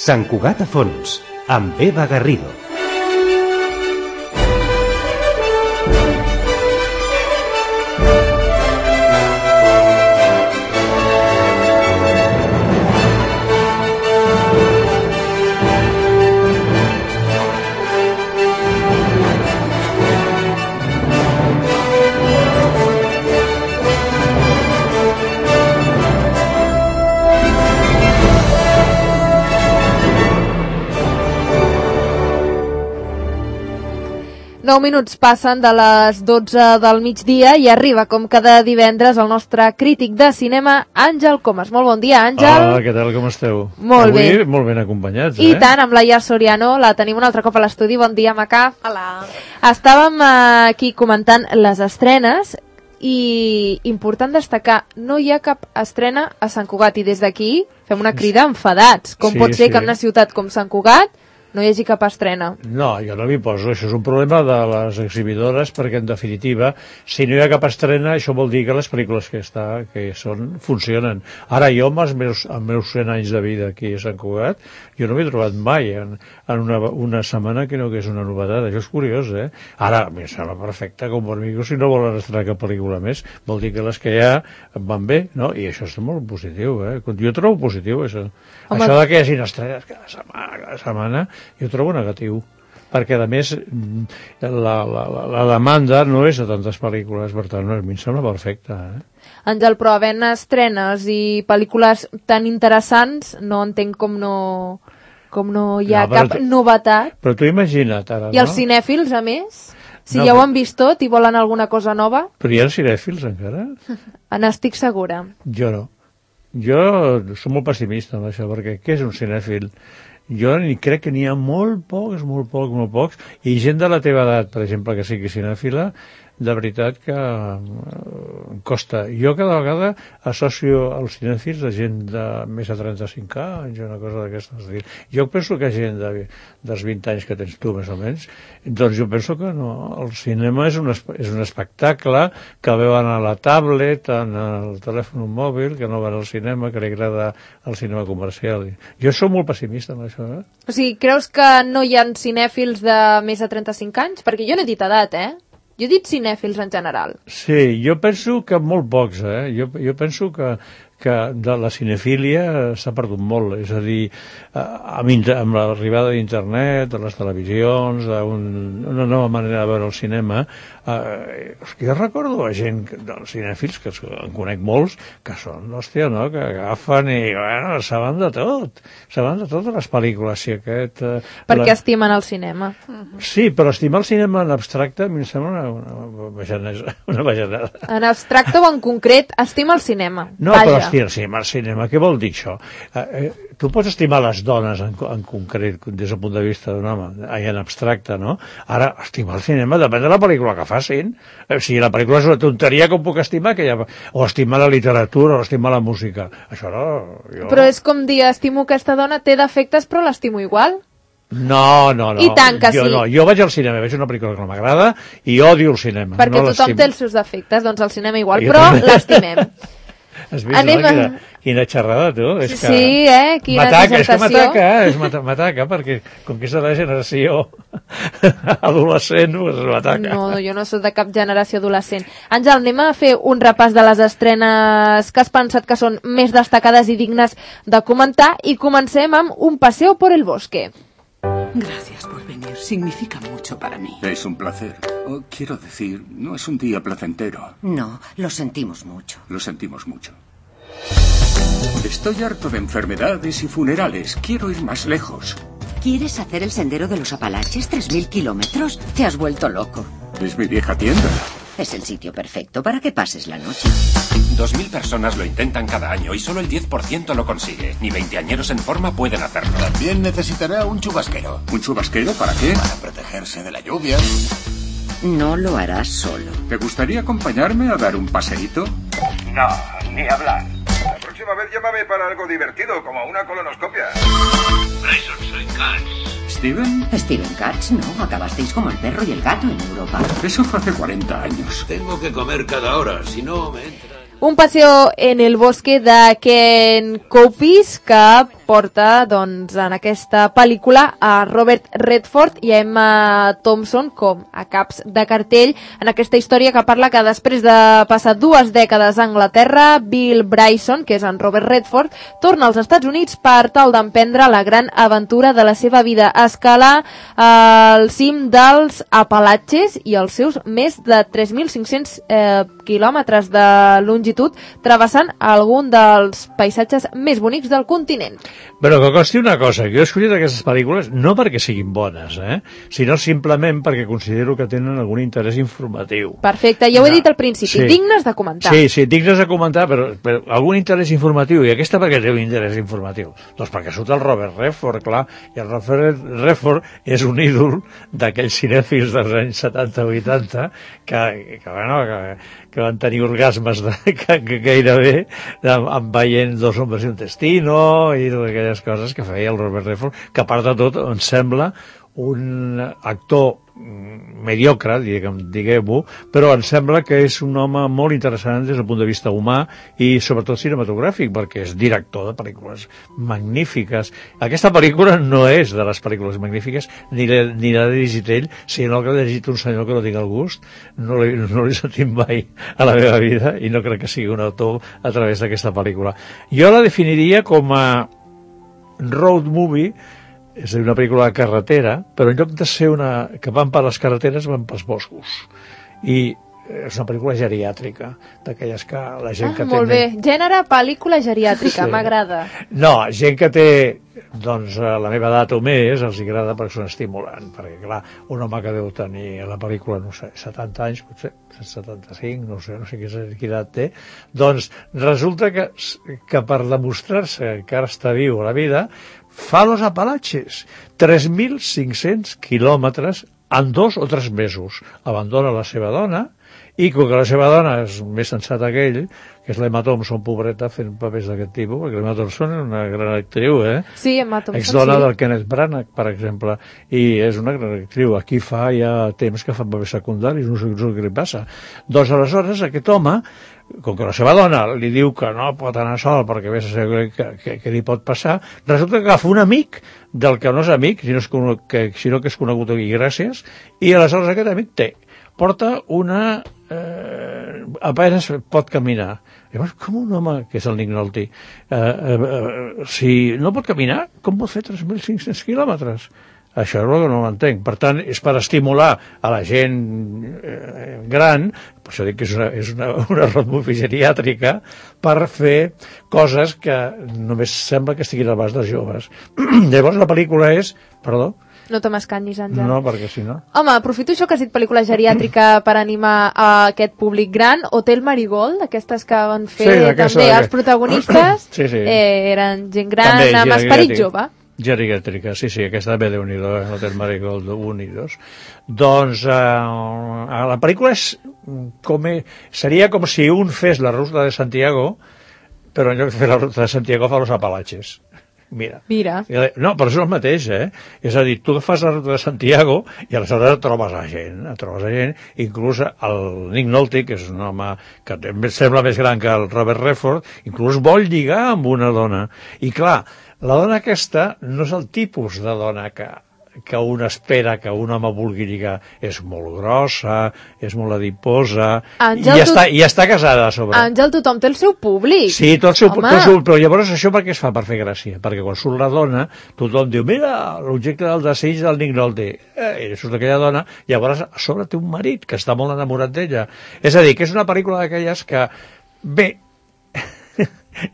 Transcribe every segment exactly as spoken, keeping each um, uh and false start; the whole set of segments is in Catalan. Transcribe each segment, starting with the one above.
Sant Cugat a fons, amb Eva Garrido. Nou minuts passen de les dotze del migdia i arriba, com cada divendres, el nostre crític de cinema, Àngel Comas. Molt bon dia, Àngel. Hola, què tal, com esteu? Molt Avui, bé. Molt ben acompanyats, eh? I tant, amb la Iar Soriano, la tenim un altre cop a l'estudi. Bon dia, Macà. Hola. Estàvem aquí comentant les estrenes i important destacar, no hi ha cap estrena a Sant Cugat i des d'aquí fem una crida enfadats. Com Sí, pot ser sí. que en una ciutat com Sant Cugat no hi hagi cap estrena? No, jo no m'hi poso. Això és un problema de les exhibidores, perquè, en definitiva, si no hi ha cap estrena, això vol dir que les pel·lícules que està, que són, funcionen. Ara, jo, amb els meus, amb meus cent anys de vida aquí a Sant Cugat, jo no m'he trobat mai en, en una, una setmana que no que és una novetat. Això és curiós, eh? Ara, em sembla perfecte, com per mi, si no volen estrenar cap pel·lícula més, vol dir que les que hi ha van bé, no? I això és molt positiu, eh? Jo trobo positiu, això. Home. Això de que hi hagi estrenes cada setmana, cada setmana, jo trobo negatiu, perquè a més la, la, la demanda no és de tantes pel·lícules, per tant, a mi em sembla perfecte, eh? Àngel, però havent estrenes i pel·lícules tan interessants, no entenc com no, com no hi ha No, però cap tu- novetat. Però tu imagina't ara, I els no? cinèfils, a més, si No, ja ho però- han vist tot i volen alguna cosa nova, Però hi ha cinèfils encara? n'estic segura. Jo no. Jo soc molt pessimista amb això, perquè què és un cinèfil? Jo ni crec que n'hi ha molt pocs, molt pocs, molt pocs, i gent de la teva edat, per exemple, que sigui cinèfila, de veritat que eh, costa. Jo cada vegada associo els cinèfils a gent de més de trenta-cinc anys, una cosa d'aquestes. Jo penso que gent de, dels vint anys que tens tu, més o menys, doncs jo penso que no. El cinema és un, esp- és un espectacle que veuen a la tablet, en el telèfon mòbil, que no van al cinema, que li agrada el cinema comercial. Jo sóc molt pessimista amb això, eh? O sigui, creus que no hi ha cinèfils de més de trenta-cinc anys? Perquè jo no he dit edat, eh? Jo he dit cinèfils en general. Sí, jo penso que molt pocs, eh? Jo, jo penso que, que de la cinefília s'ha perdut molt, és a dir, eh, amb, inter- amb l'arribada d'internet, de les televisions, d'una nova manera de veure el cinema, eh, jo recordo a gent que- dels cinèfils, que en conec molts, que són, hòstia, no?, que agafen i, bueno, saben de tot, saben de totes les pel·lícules, si aquest... Eh, Perquè la... estimen el cinema. Sí, però estimar el cinema en abstracte a mi em sembla una, una, bajanesa, una bajanada. En abstracte o en concret, estima el cinema. No, Vaja. però estimar el cinema, el cinema, què vol dir això? Eh, eh, tu pots estimar les dones en, en concret, des del punt de vista d'un home, eh, en abstracte, no? Ara, estimar el cinema depèn de la pel·lícula que facin. Eh, si la pel·lícula és una tonteria, com puc estimar? Que ja... O estimar la literatura, o estimar la música. Això no... Jo... Però és com dir, estimo aquesta dona, té defectes, però l'estimo igual. No, no, no. I tant que jo, sí. No. Jo vaig al cinema, veig una pel·lícula que no m'agrada i odio el cinema. Perquè no tothom l'estimo. té els seus defectes, doncs el cinema igual, Jo però també. l'estimem. Has vist, Anem no? a- Quina, quina xerrada, tu? És que... Sí, eh? Quina M'ataca, és que dissertació. m'ataca, és m'ata- m'ataca, perquè com que és de la generació adolescent, doncs m'ataca. No, jo no sóc de cap generació adolescent. Àngel, anem a fer un repàs de les estrenes que has pensat que són més destacades i dignes de comentar i comencem amb Un paseo por el bosque. Gracias por venir. Significa mucho para mí. Es un placer. O, quiero decir, no es un día placentero. No, lo sentimos mucho. Lo sentimos mucho. Estoy harto de enfermedades y funerales. Quiero ir más lejos. ¿Quieres hacer el sendero de los Apalaches? ¿Tres mil kilómetros? Te has vuelto loco. Es mi vieja tienda. Es el sitio perfecto para que pases la noche. Dos mil personas lo intentan cada año y solo el diez por ciento lo consigue. Ni veinteañeros en forma pueden hacerlo. También necesitará un chubasquero. ¿Un chubasquero para qué? Para protegerse de la lluvia. No lo harás solo. ¿Te gustaría acompañarme a dar un paseíto? No, ni hablar. La próxima vez llámame para algo divertido, como una colonoscopia. Grayson, soy Katz. ¿Steven? Steven Katz, no. Acabasteis como el perro y el gato en Europa. Eso fue hace cuarenta años. Tengo que comer cada hora, si no me entra... Un paseo en el bosque de Ken Kopis, que porta doncs, en aquesta pel·lícula a Robert Redford i a Emma Thompson com a caps de cartell en aquesta història que parla que després de passar dues dècades a Anglaterra, Bill Bryson, que és en Robert Redford, torna als Estats Units per tal d'emprendre la gran aventura de la seva vida, escalar al cim dels Apalatxes i els seus més de tres mil cinc-cents eh, quilòmetres de longitud, travessant algun dels paisatges més bonics del continent. Però que consti una cosa, que jo he escollit aquestes pel·lícules no perquè siguin bones, eh? sinó simplement perquè considero que tenen algun interès informatiu. Perfecte, ja ho he no. dit al principi, sí. dignes de comentar. Sí, sí, dignes de comentar, però, però algun interès informatiu, i aquesta perquè té un interès informatiu? Doncs perquè surt el Robert Redford, clar, i el Robert Redford és un ídol d'aquells cinèfils dels anys setanta o vuitanta que, que, bueno, que, que van tenir orgasmes de, que, que gairebé amb, amb veient Dos hombres i un destino i totes aquelles coses que feia el Robert Redford, que a part de tot em sembla un actor mediocre, diguem-ho, però em sembla que és un home molt interessant des del punt de vista humà i sobretot cinematogràfic, perquè és director de pel·lícules magnífiques. Aquesta pel·lícula no és de les pel·lícules magnífiques, ni l'ha dirigit ell, sinó que l'ha dirigit un senyor que no tinc el gust, no l'he no l'he sentit mai a la meva vida i no crec que sigui un autor a través d'aquesta pel·lícula. Jo la definiria com a road movie, és a dir, una pel·lícula de carretera, però en lloc de ser una que van per les carreteres, van pels boscos. I és una pel·lícula geriàtrica, d'aquelles que la gent ah, que té... Molt bé, gènere pel·lícula geriàtrica, sí. M'agrada. No, gent que té doncs la meva edat o més, els agrada perquè són estimulants, perquè clar, un home que deu tenir a la pel·lícula, no sé, setanta anys, potser, setanta-cinc, no sé, no sé quina edat té, doncs resulta que, que per demostrar-se que ara està viu a la vida, fa los Apalatxes, tres mil cinc-cents quilòmetres en dos o tres mesos. Abandona la seva dona, i com que la seva dona és més sensata que ell, que és l'Emma Thompson, pobreta, fent papers d'aquest tipus, perquè l'Emma Thompson és una gran actriu, eh? Sí, Emma Thompson, Ex-dona sí. del Kenneth Branagh, per exemple, i és una gran actriu. Aquí fa ja temps que fa papers secundaris, no sé què li passa. Doncs aleshores aquest home, com que la seva dona li diu que no pot anar sol perquè vés a saber què, què, què li pot passar, resulta que agafa un amic del que no és amic, sinó que, sinó que és conegut aquí gràcies, i aleshores aquest amic té, porta una... Eh, apenas pot caminar. Llavors, com un home, que és el Nick Nolte, eh, eh, eh, si no pot caminar, com pot fer tres mil cinc-cents quilòmetres? Això és el que no m'entenc. Per tant, és per estimular a la gent eh, gran, per això dic que és una, és una, una road movie geriàtrica, per fer coses que només sembla que estiguin al abast dels joves. Llavors la pel·lícula és... Perdó? No te m'escanyis, Àngel. No, perquè si no... Home, aprofito això que has dit pel·lícula geriàtrica per animar a aquest públic gran. Hotel Marigold, aquestes que van fer sí, també els protagonistes, sí, sí. Eh, eren gent gran també, amb esperit jove. Geriàtrica, sí, sí, aquesta també déu-n'hi-do, eh? Hotel Marigold un i dos. Doncs eh, la pel·lícula és com, seria com si un fes la ruta de Santiago, però en lloc de fer la ruta de Santiago fa los Apalatxes. Mira. Mira. No, però és el mateix, eh? És a dir, tu fas la ruta de Santiago i aleshores trobes la gent, trobes la gent, inclús el Nick Nolte, que és un home que sembla més gran que el Robert Redford, inclús vol lligar amb una dona. I clar, la dona aquesta no és el tipus de dona que, que un espera que un home vulgui lligar. És molt grossa, és molt adiposa, Àngel, i, està, i està casada a sobre. Àngel, tothom té el seu públic. Sí, tot el seu públic, però llavors això per què es fa? Per fer gràcia, perquè quan surt la dona, tothom diu, mira, l'objecte del desig del Nick Nolte, eh, i surt aquella dona, llavors a sobre té un marit que està molt enamorat d'ella. És a dir, que és una pel·lícula d'aquelles que, bé,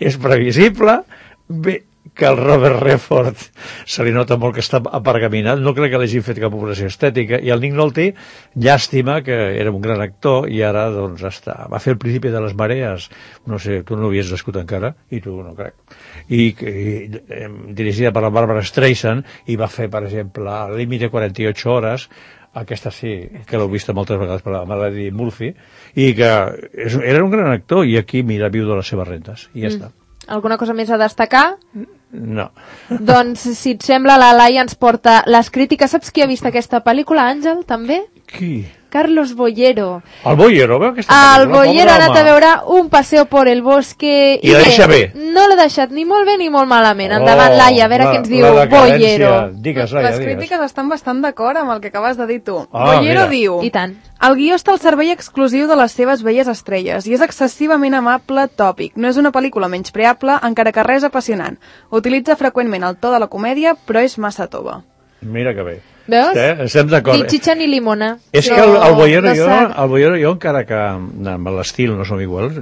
és previsible, bé, que el Robert Redford se li nota molt que està apargaminat, no crec que l'hagi fet cap operació estètica, i el Nick Nolte, llàstima, que era un gran actor, i ara, doncs, està. Va fer el Principi de les Marees, no sé, tu no l'havies nascut encara, i tu no crec, i, i dirigida per la Barbara Streisand, i va fer, per exemple, Límite quaranta-ocho hores, aquesta sí, que l'heu vist moltes vegades per la Melody Murphy, i que és, era un gran actor, i aquí, mira, viu de les seves rentes, i ja mm. està. Alguna cosa més a destacar? No. Doncs, si et sembla, la Laia ens porta les crítiques. Saps qui ha vist aquesta pel·lícula, Àngel, també? Qui? Carlos Boyero. El Boyero, veu aquesta El pel·lícula? Boyero ha anat a veure Un paseo por el bosque... I la deixa bé. No l'ha deixat ni molt bé ni molt malament. Oh, Endavant, Laia, a veure la, què ens diu la Boyero. Digues, Laia, Les digues. crítiques estan bastant d'acord amb el que acabes de dir tu. Ah, Boyero mira. diu... I tant. El guió està al servei exclusiu de les seves velles estrelles i és excessivament amable tòpic. No és una pel·lícula menyspreable, encara que res apassionant. Utilitza freqüentment el to de la comèdia, però és massa tova. Mira que bé. Veus? Eh? Estem d'acord. Ni xitxa ni limona. És no, que el, el, Boyero no jo, sap. el Boyero jo, encara que amb l'estil no som iguals,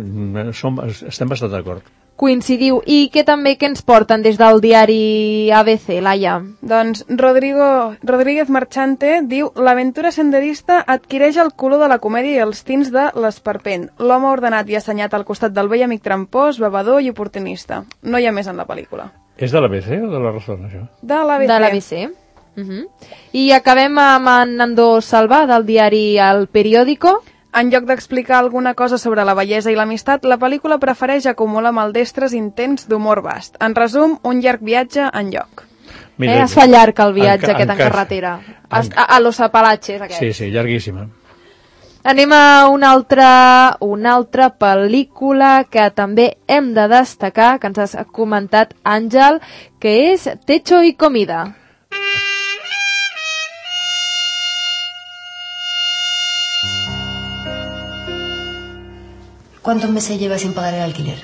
som, estem bastant d'acord. Coincidiu. I què també que ens porten des del diari A B C, Laia? Doncs Rodrigo Rodríguez Marchante diu l'aventura senderista adquireix el color de la comèdia i els tints de l'esperpent. L'home ordenat i assenyat al costat del vell amic trampós, bevedor i oportunista. No hi ha més en la pel·lícula. És de l'A B C o de la Razón, això? De l'A B C. De l'A B C. Uh -huh. I acabem amb en Nando Salvà, del diari El Periódico. En lloc d'explicar alguna cosa sobre la bellesa i l'amistat, la pel·lícula prefereix acumular maldestres intents d'humor vast. En resum, un llarg viatge en lloc. Mira, eh, es fa llarg el viatge en, aquest en, en carretera. A, a, a los Apalaches, aquest. Sí, sí, llarguíssima. Anem a una altra, una altra pel·lícula que també hem de destacar, que ens has comentat, Àngel, que és Techo y Comida. ¿Cuántos meses llevas sin pagar el alquiler?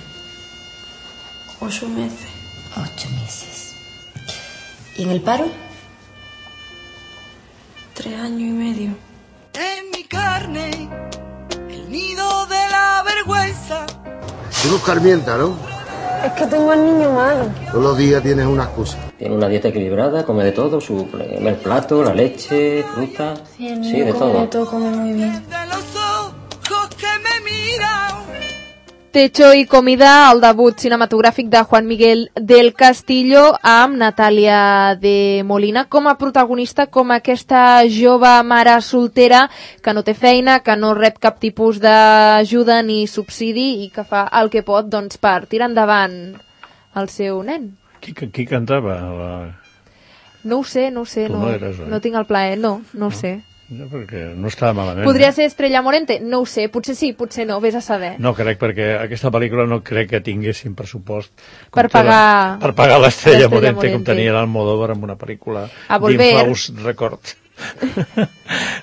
Ocho meses. Ocho meses. ¿Y en el paro? Tres años y medio. En mi carne, el nido de la vergüenza. Tú no escarmientas, ¿no? Es que tengo al niño malo. Todos los días tienes una excusa. Tiene una dieta equilibrada, come de todo, su el plato, la leche, fruta, sí, el sí de come todo. De todo, come muy bien. De los ojos que me miran. Techo y Comida, el debut cinematogràfic de Juan Miguel del Castillo amb Natàlia de Molina com a protagonista, com aquesta jove mare soltera que no té feina, que no rep cap tipus d'ajuda ni subsidi i que fa el que pot doncs, per tirar endavant el seu nen. Qui, qui cantava? La... No ho sé, no ho sé, Tu no, no eres, oi? no tinc el plaer, no, no ho No. sé. No, perquè no estava malament. Podria eh? ser Estrella Morente? No ho sé, potser sí, potser no, vés a saber. No crec, perquè aquesta pel·lícula no crec que tinguessin pressupost com Per té la- pagar- per pagar l'Estrella l'Estrella Morente, com Morente. tenia l'Almodóvar amb una pel·lícula A Volver. d'Inflaus Records.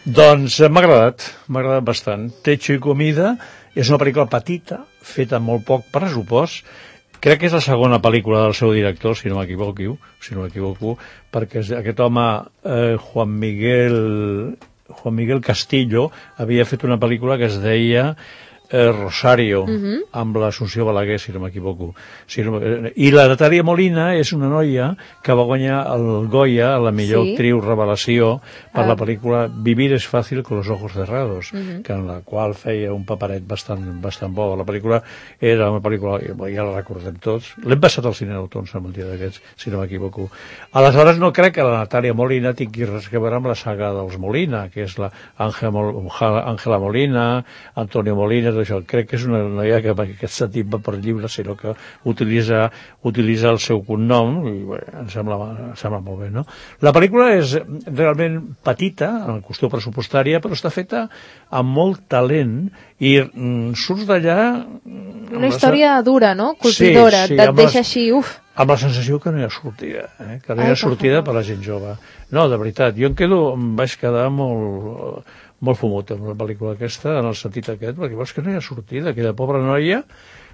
Doncs eh, m'ha agradat, m'ha agradat bastant. Techo y Comida és una pel·lícula petita, feta amb molt poc pressupost. Crec que és la segona pel·lícula del seu director, si no m'equivoco, si no m'equivoco, perquè és- aquest home, eh, Juan Miguel Juan Miguel Castillo, havia fet una pel·lícula que es deia eh, Rosario, Mhm. amb l'Assumpció Balaguer, si no m'equivoco. Si no, eh, I la Natàlia Molina és una noia que va guanyar el Goya, la millor Sí. actriu revelació, per Ah. la pel·lícula Vivir es fácil con los ojos cerrados, Mhm. que en la qual feia un paperet bastant, bastant bo. La pel·lícula era una pel·lícula, ja la recordem tots, l'hem passat al cine d'autor, em un dia d'aquests, si no m'equivoco. Aleshores no crec que la Natàlia Molina tingui res a veure amb la saga dels Molina, que és la Àngela Mol- Àngela Molina, Antonio Molina, tot això. Crec que és una noia que en aquest sentit va per lliure, sinó que utilitza, utilitza el seu cognom, i bé, em sembla, em sembla molt bé, no? La pel·lícula és realment petita, en qüestió pressupostària, però està feta amb molt talent i mm, surts d'allà... amb Una la història dura, no? Colpidora, Sí, sí, et amb deixa les- així, uf. amb la sensació que no hi ha sortida, eh? que no hi Ai, ha sortida per per a la gent jove. No, de veritat, jo em quedo, em vaig quedar molt, molt fumut amb la pel·lícula aquesta, en el sentit aquest, perquè veus que no hi ha sortida, aquella pobra noia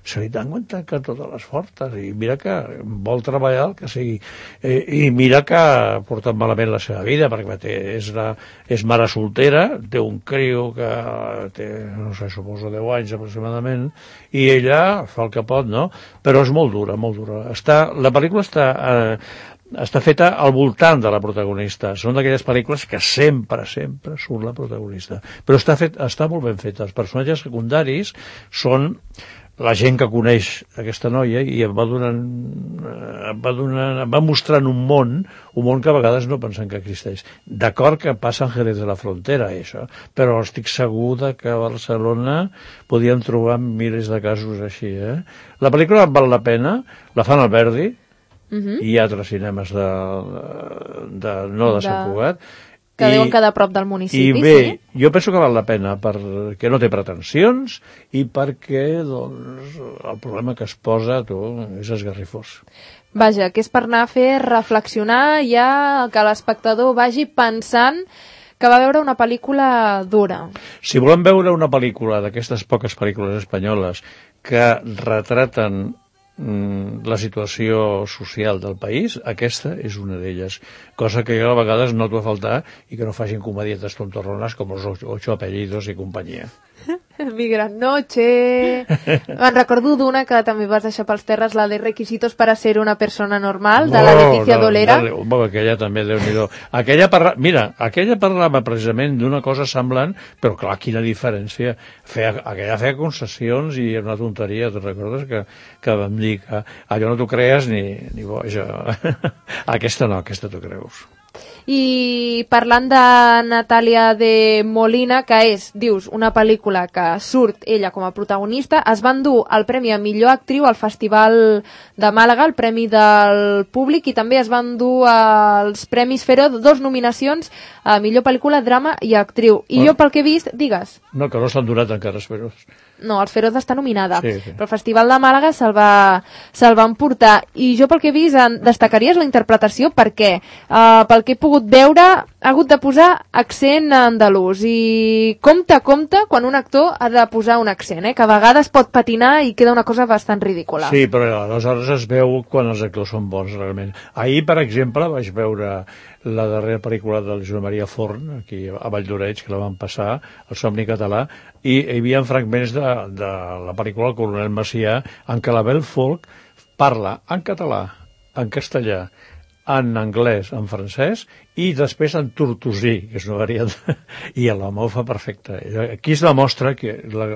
se li tanquen tancar totes les fortes, i mira que vol treballar el que sigui, eh, i mira que ha portat malament la seva vida, perquè té, és, la, és mare soltera, té un criu que té, no sé, suposo deu anys aproximadament, i ella fa el que pot, no? Però és molt dura, molt dura. Està, la pel·lícula està... Eh, està feta al voltant de la protagonista. Són d'aquelles pel·lícules que sempre, sempre surt la protagonista. Però està, fet, està molt ben feta. Els personatges secundaris són la gent que coneix aquesta noia i em va donant, em va, donant, em va mostrant un món, un món que a vegades no pensem que existeix. D'acord que passa a Jerez de la Frontera, això, però estic segur de que a Barcelona podíem trobar milers de casos així. Eh? La pel·lícula val la pena, la fan al Verdi, Uh -huh. i altres cinemes de, de, no de Sant De- Cugat, que deuen quedar a prop del municipi. I bé, sí? jo penso que val la pena perquè no té pretensions i perquè doncs, el problema que es posa tu, és esgarrifós. Vaja, que és per anar a fer reflexionar ja que l'espectador vagi pensant que va veure una pel·lícula dura. Si volem veure una pel·lícula d'aquestes poques pel·lícules espanyoles que retraten la situació social del país, aquesta és una d'elles, cosa que jo a vegades noto a faltar i que no facin comedietes tontorrones com els ocho apellidos i companyia. Mi gran noche. Me'n recordo d'una que també vas deixar pels terres, la de Requisitos para ser una persona normal, de la Leticia no, Dolera. No, no, aquella també, Déu-n'hi-do. Aquella parla... Mira, aquella parlava precisament d'una cosa semblant, però clar, quina diferència. Feia, aquella feia concessions i era una tonteria, te'n recordes? Que, que vam dir que allò no t'ho crees ni, ni boja. Aquesta no, aquesta t'ho creus. I parlant de Natàlia de Molina, que és, dius, una pel·lícula que surt ella com a protagonista, es va endur el Premi a Millor Actriu al Festival de Màlaga, el Premi del Públic, i també es va endur els Premis Feroz, dos nominacions a Millor Pel·lícula, Drama i Actriu. I oh. jo, pel que he vist, digues... No, que no s'han donat encara els Feroz. No, el Feroz està nominada, sí, sí. però el Festival de Màlaga se'l va, se'l va emportar. I jo, pel que he vist, destacaries la interpretació perquè, eh, pel que he pogut veure, ha hagut de posar accent andalús. I compte, compte, quan un actor ha de posar un accent, eh, que a vegades pot patinar i queda una cosa bastant ridícula. Sí, però aleshores es veu quan els actors són bons, realment. Ahir, per exemple, vaig veure la darrera pel·lícula del Joan Maria Forn, aquí a Valldoreix, que la van passar, El somni català, i hi havia fragments de, de la pel·lícula El coronel Macià, en què la Bel Folk parla en català, en castellà, en anglès, en francès, i després en tortosí, que és una variant, i l'home ho fa perfecte. Aquí es demostra que la,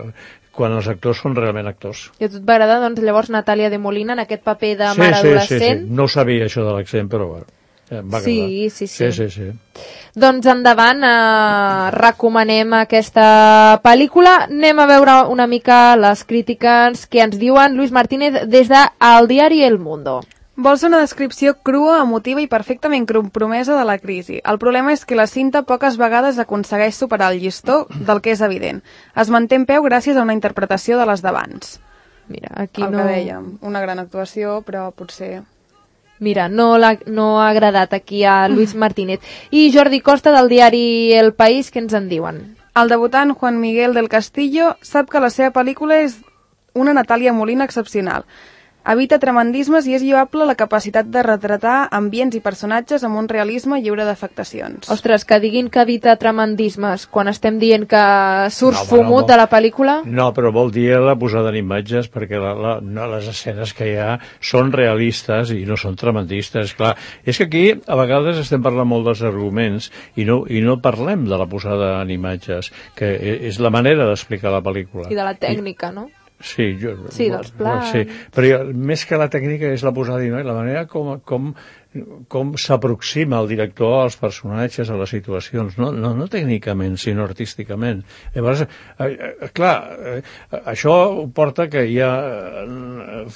quan els actors són realment actors. I a tu et va agradar, doncs, llavors, Natàlia de Molina, en aquest paper de sí, mare sí, adolescent? Sí, sí, no sabia això de l'accent, però bueno. Sí, sí, sí. sí, sí, sí. Doncs endavant, eh, recomanem aquesta pel·lícula. Anem a veure una mica les crítiques que ens diuen Luis Martínez des de El Diari El Mundo. Vols una descripció crua, emotiva i perfectament compromesa de la crisi. El problema és que la cinta poques vegades aconsegueix superar el llistó del que és evident. Es manté en peu gràcies a una interpretació de les d'abans. Mira, aquí el no... que dèiem, una gran actuació, però potser... Mira, no, la, no ha agradat aquí a Luis Martínez. I Jordi Costa, del diari El País, què ens en diuen? El debutant Juan Miguel del Castillo sap que la seva pel·lícula és una Natàlia Molina excepcional. Evita tremendismes i és lloable la capacitat de retratar ambients i personatges amb un realisme lliure d'afectacions. Ostres, que diguin que evita tremendismes quan estem dient que surts no, fumut no, de la pel·lícula? No, però vol dir la posada en imatges, perquè la, la, no, les escenes que hi ha són realistes i no són tremendistes. Clar, és que aquí a vegades estem parlant molt dels arguments i no, i no parlem de la posada en imatges, que és la manera d'explicar la pel·lícula. I de la tècnica, I, no? Sí, jo, sí, dels plans. Sí, però jo, més que la tècnica és la posada d'imatge, la manera com, com, com s'aproxima el director als personatges, a les situacions, no, no, no tècnicament, sinó artísticament. Llavors, eh, eh, clar, eh, això porta que hi ha,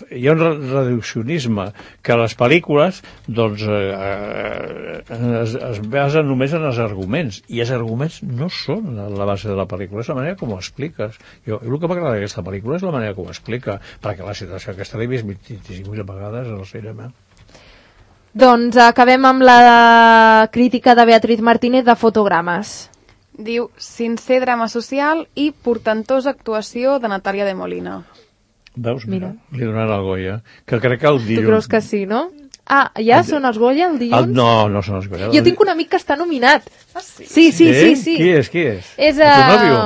hi ha un reduccionisme, que les pel·lícules doncs, eh, es, es basen només en els arguments, i els arguments no són la base de la pel·lícula, és la manera com ho expliques. Jo, el que m'agrada d'aquesta pel·lícula és la manera com ho explica, perquè la situació aquesta l'he vist vint-i-cinc mil vegades al cinema. Doncs acabem amb la crítica de Beatriz Martínez de Fotogrames. Diu, sincer drama social i portentosa actuació de Natàlia de Molina. Veus? Mira, li donaran el Goya. Que crec que el dilluns... Tu creus que sí, no? Ah, ja el... són els Goya el dilluns? El... No, no són els Goya. Jo tinc un amic que està nominat. Ah, sí? Sí, sí, sí, sí, sí. Qui és, qui és? És el teu uh... nòvio?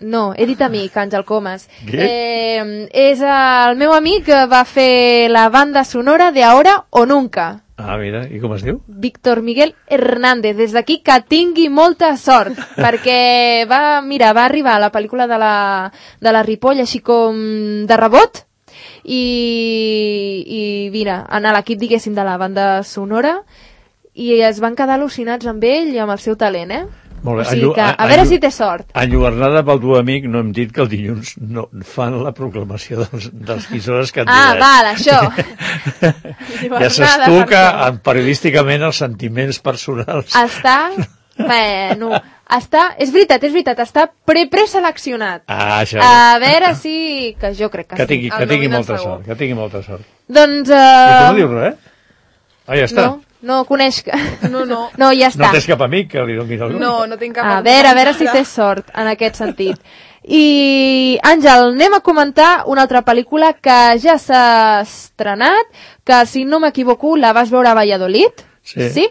No, he dit amic, Àngel Comas. Eh, és el meu amic que va fer la banda sonora de Ahora o Nunca. Ah, mira, i com es diu? Víctor Miguel Hernández. Des d'aquí que tingui molta sort, perquè va, mira, va arribar a la pel·lícula de la, de la Ripoll així com de rebot, i, i mira, anar a l'equip, diguéssim, de la banda sonora, i es van quedar al·lucinats amb ell i amb el seu talent, eh? Molt bé. O sigui que, a veure si té sort. Enlluernada pel teu amic, no hem dit que el dilluns no fan la proclamació dels, dels qui són els Ah, candidats. val, això. Ja s'estuca periodísticament els sentiments personals. Està Bueno, està, és veritat, és veritat, està pre-preseleccionat. Ah, això. A veure si... que jo crec que, que tingui, sí. Que tingui molta sort, que tingui molta sort. Doncs... Uh... I tu no dius res? Ah, ja està. No, no coneix... Que... No, no. No, ja està. No tens cap amic que li doni algú? No, no tinc cap A amic. veure, a veure si té sort en aquest sentit. I, Àngel, anem a comentar una altra pel·lícula que ja s'ha estrenat, que si no m'equivoco la vas veure a Valladolid. Sí. Sí?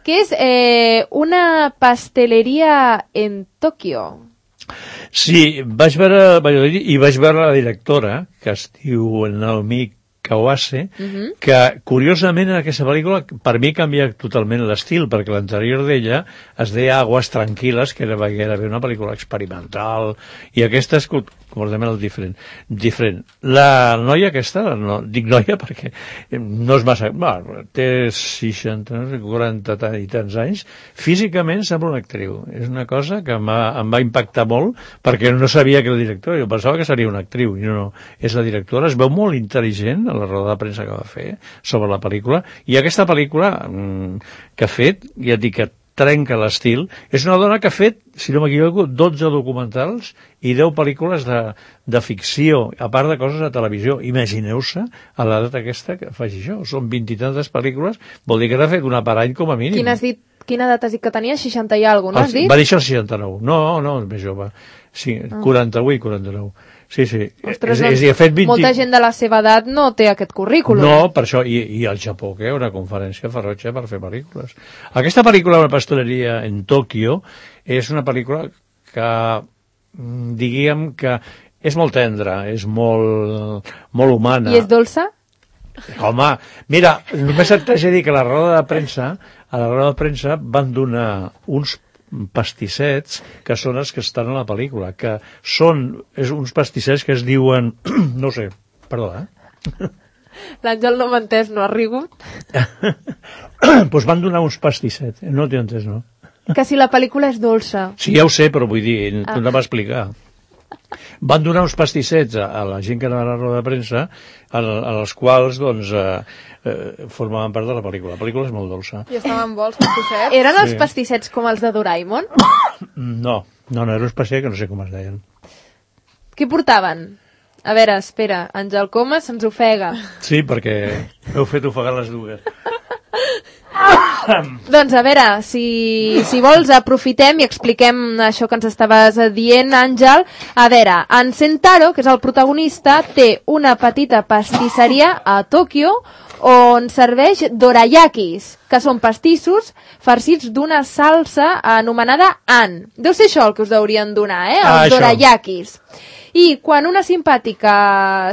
Que és eh, una pasteleria en Tòquio. Sí, vaig veure Valladolid i vaig veure la directora, que es diu Naomi Kawase, uh-huh. que curiosament en aquesta pel·lícula per mi canvia totalment l'estil, perquè l'anterior d'ella es deia Aguas Tranquiles, que era gairebé una pel·lícula experimental, i aquesta és completament diferent. diferent. La noia aquesta, no, dic noia perquè no és massa... Bueno, té seixanta, quaranta i tants anys, físicament sembla una actriu. És una cosa que em va impactar molt, perquè no sabia que era directora, jo pensava que seria una actriu, i no, no, és la directora, es veu molt intel·ligent, la roda de premsa que va fer sobre la pel·lícula, i aquesta pel·lícula mmm, que ha fet, ja et dic que trenca l'estil, és una dona que ha fet, si no m'equivoco, dotze documentals i deu pel·lícules de, de ficció, a part de coses de televisió. Imagineu-se a l'edat aquesta que faci això, són vint i tantes pel·lícules, vol dir que n'ha fet una per any com a mínim. Quina has dit? Quina edat has dit que tenia? seixanta i alguna, no has dit? Va dir això seixanta-nou. No, no, és més jove. Sí, ah. quaranta-vuit, quaranta-nou. Sí, sí. Ostres, és, és, és, fet vint... molta gent de la seva edat no té aquest currículum. No, per això, i, i al Japó, que hi ha una conferència ferotge per fer pel·lícules. Aquesta pel·lícula, Una pasteleria en Tòquio, és una pel·lícula que, diguem que és molt tendra, és molt, molt humana. I és dolça? Home, mira, només et t'haig de dir que a la roda de premsa, a la roda de premsa van donar uns pastissets que són els que estan a la pel·lícula, que són és uns pastissets que es diuen no sé, perdó, eh? L'Àngel no m'ha entès, no ha rigut. Doncs van donar uns pastissets, no t'he entès, no? Que si la pel·lícula és dolça. Sí, ja ho sé, però vull dir, ah. no t'ho va explicar. Van donar uns pastissets a, a la gent que anava a la roda de premsa, a, a les quals, doncs, eh, eh, formaven part de la pel·lícula. La pel·lícula és molt dolça. I estaven bons pastissets? Eren els sí. pastissets com els de Doraemon? No, no, no, era un pastisset que no sé com es deien. Què portaven? A veure, espera, Àngel Comas se'ns ofega. Sí, perquè heu fet ofegar les dues. Doncs a veure, si, si vols aprofitem i expliquem això que ens estaves dient, Àngel. A veure, en Sentaro, que és el protagonista, té una petita pastisseria a Tòquio on serveix dorayakis, que són pastissos farcits d'una salsa anomenada an. Deu ser això el que us haurien donar, eh? Els ah, dorayakis. I quan una simpàtica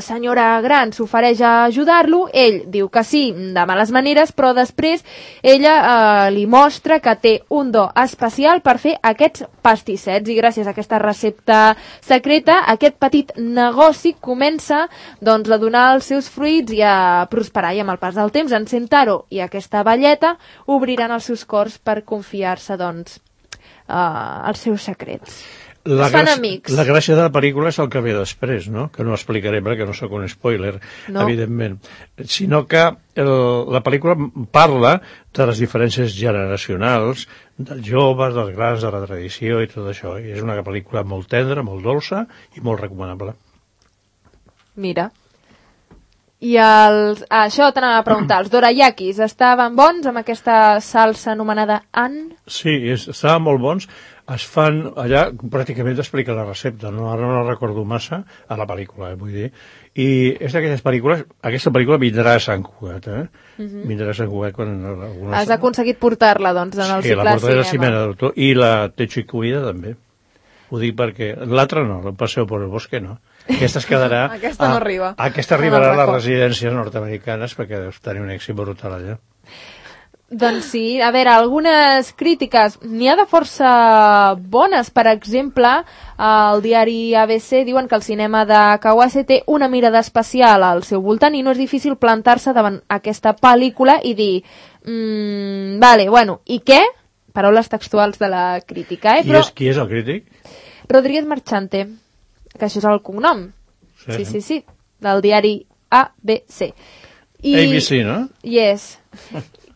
senyora gran s'ofereix a ajudar-lo, ell diu que sí, de males maneres, però després ella eh, li mostra que té un do especial per fer aquests pastissets i gràcies a aquesta recepta secreta, aquest petit negoci comença doncs, a donar els seus fruits i a prosperar. I amb el pas del temps, en Sentaro i aquesta velleta obriran els seus cors per confiar-se doncs, eh, els seus secrets. La es fan gràcia, amics. La gràcia de la pel·lícula és el que ve després, no? Que no explicaré perquè no sóc un spoiler, no. Evidentment. Sinó que el, la pel·lícula parla de les diferències generacionals, dels joves, dels grans, de la tradició i tot això. I és una pel·lícula molt tendra, molt dolça i molt recomanable. Mira. I els... Ah, això t'anava a preguntar. Els dorayakis estaven bons amb aquesta salsa anomenada an? Sí, és, estaven molt bons. Es fan allà, pràcticament t'explica la recepta, no? Ara no la recordo massa a la pel·lícula, eh, vull dir. I és d'aquestes pel·lícules, aquesta pel·lícula vindrà a Sant Cugat, eh? Uh-huh. Vindrà a Sant Cugat quan... Algunes... Has aconseguit portar-la, doncs, en el sí, cicle la portaré cinema. De Ximena d'Autor, i la Techo y Cuida també. Ho dic perquè... L'altra no, el Paseo por el Bosque no. Aquesta es quedarà... aquesta no arriba. A, aquesta arribarà a les residències nord-americanes perquè deu tenir un èxit brutal allà. Doncs sí, a veure, algunes crítiques n'hi ha de força bones. Per exemple, al diari A B C diuen que el cinema de Kawase té una mirada especial al seu voltant i no és difícil plantar-se davant aquesta pel·lícula i dir mmm, vale, bueno, i què? Paraules textuals de la crítica, eh? Qui, Però... és, qui és el crític? Rodríguez Marchante, que això és el cognom. Sí, sí, sí, sí, del diari A B C. I... A B C, no? Yes.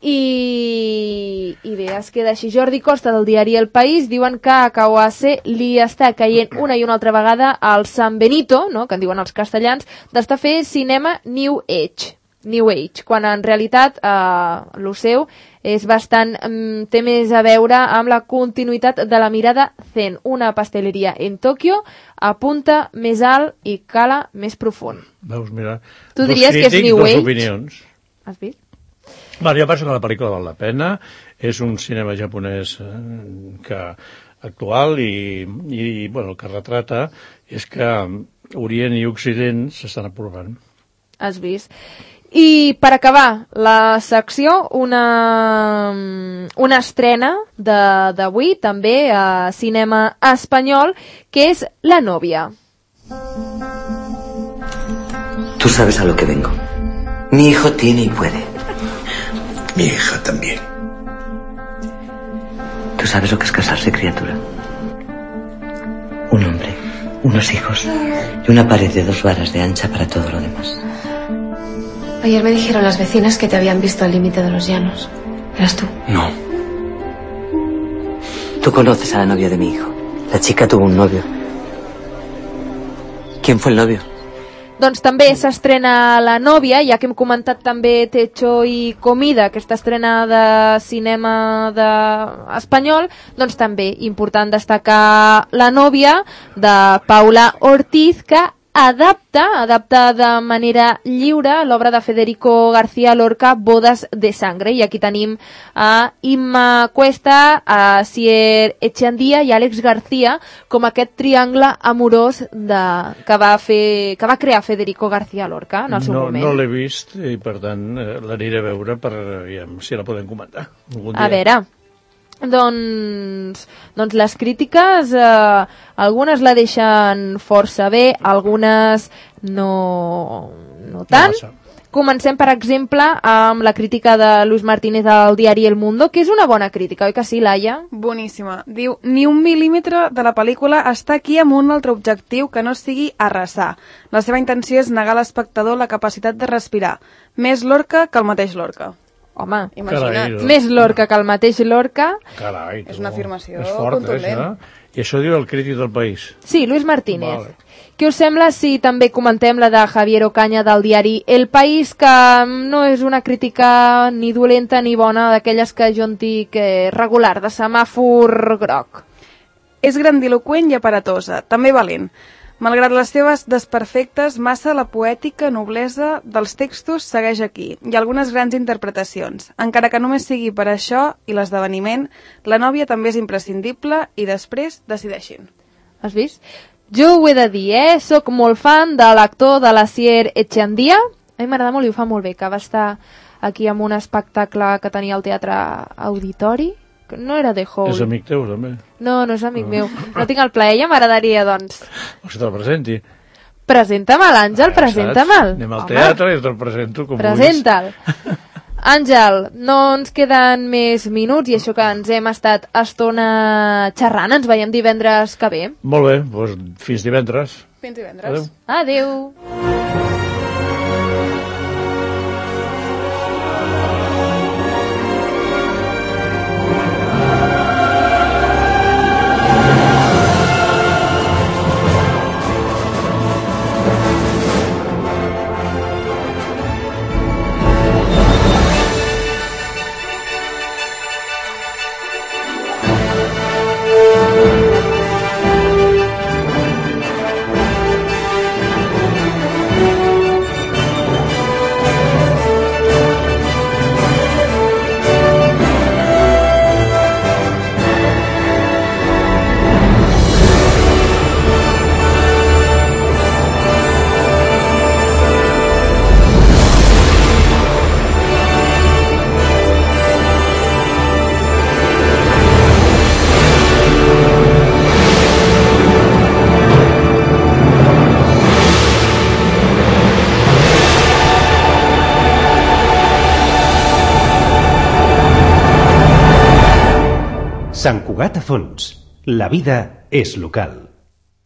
I, i bé, es queda així. Jordi Costa, del diari El País, diuen que a Kawase li està caient una i una altra vegada al San Benito, no?, que en diuen els castellans, d'estar fer cinema New Age. New Age, quan en realitat eh, lo seu és bastant, mm, té més a veure amb la continuïtat de la mirada zen, una pasteleria en Tòquio, apunta més alt i cala més profund. Veus, mira, tu diries que és New Age? Opinions. Has vist? Bueno, jo penso que la pel·lícula val la pena, és un cinema japonès eh, que actual i, i bueno, el que retrata és que Orient i Occident s'estan aprovant. Has vist? I per acabar la secció, una, una estrena d'avui, també a cinema espanyol, que és La novia. Tú sabes a lo que vengo. Mi hijo tiene y puede. Mi hija también. ¿Tú sabes lo que es casarse, criatura? Un hombre, unos hijos y una pared de dos varas de ancha para todo lo demás. Ayer me dijeron las vecinas que te habían visto al límite de los llanos. ¿Eras tú? No. Tú conoces a la novia de mi hijo. La chica tuvo un novio. ¿Quién fue el novio? Doncs també s'estrena La nòvia, ja que hem comentat també Techo i Comida, aquesta estrena de cinema de... espanyol, doncs també important destacar La nòvia, de Paula Ortiz, que adapta, adapta de manera lliure l'obra de Federico García Lorca, Bodas de sangre. I aquí tenim a Imma Cuesta, a Sier Echandía i Àlex García com aquest triangle amorós de, que, va fer, que va crear Federico García Lorca en el seu no, moment. No l'he vist i per tant l'aniré a veure per aviam, si la podem comentar algun dia. A veure, doncs, doncs les crítiques eh, algunes la deixen força bé, algunes no, no tant. No, comencem, per exemple, amb la crítica de Luis Martínez del diari El Mundo, que és una bona crítica, oi que sí, Laia? Boníssima. Diu, ni un mil·límetre de la pel·lícula està aquí amb un altre objectiu que no sigui arrasar. La seva intenció és negar a l'espectador la capacitat de respirar. Més Lorca que el mateix Lorca. Home, imagina't. Carai, més Lorca que el mateix Lorca. Carai, és una afirmació és fort, contundent. Eh, I això diu el crític del País. Sí, Luis Martínez. Vale. Què us sembla si també comentem la de Javier Ocaña del diari El País, que no és una crítica ni dolenta ni bona, d'aquelles que jo en dic eh, regular, de semàfor groc? És grandiloqüent i aparatosa, també valent. Malgrat les seves desperfectes, massa la poètica noblesa dels textos segueix aquí. Hi ha algunes grans interpretacions. Encara que només sigui per això i l'esdeveniment, La nòvia també és imprescindible i després decideixin. Has vist? Jo ho he de dir, eh? Soc molt fan de l'actor de la Sier Echandía. A mi m'agrada molt i ho fa molt bé, que va estar aquí amb un espectacle que tenia al Teatre Auditori. No era de Hall. És amic teu, també? No, no és amic meu. No tinc el plaer, ja m'agradaria, doncs. O que te'l presenti. Presenta'm l'Àngel, presenta'm-el. Anem al teatre i te'l presento com Presenta'l. Àngel, no ens queden més minuts i això que ens hem estat estona xerrant. Ens veiem divendres que ve. Molt bé, doncs fins divendres. Fins divendres. Adéu. Adéu. Sant Cugat a Fons. La vida és local.